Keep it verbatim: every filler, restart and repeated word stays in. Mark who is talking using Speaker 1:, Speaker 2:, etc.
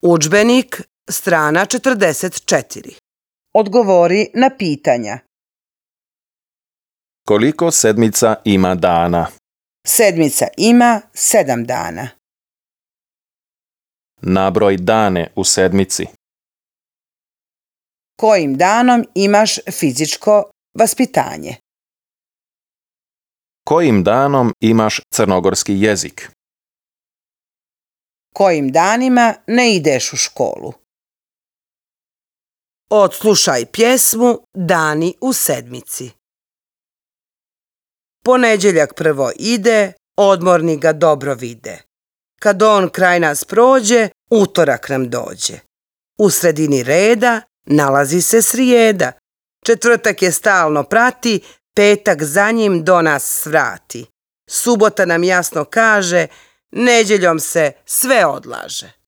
Speaker 1: Udžbenik, strana četrdeset četiri. Odgovori na pitanja.
Speaker 2: Koliko sedmica ima dana?
Speaker 1: Sedmica ima sedam dana.
Speaker 2: Nabroj dane u sedmici.
Speaker 1: Kojim danom imaš fizičko vaspitanje?
Speaker 2: Kojim danom imaš crnogorski jezik?
Speaker 1: Kojim danima ne ideš u školu? Odslušaj pjesmu Dani u sedmici. Ponedjeljak prvo ide, odmorni ga dobro vide. Kad on kraj nas prođe, utorak nam dođe. U sredini reda nalazi se srijeda. Četvrtak je stalno prati, petak za njim do nas svrati. Subota nam jasno kaže, nedjeljom se sve odlaže.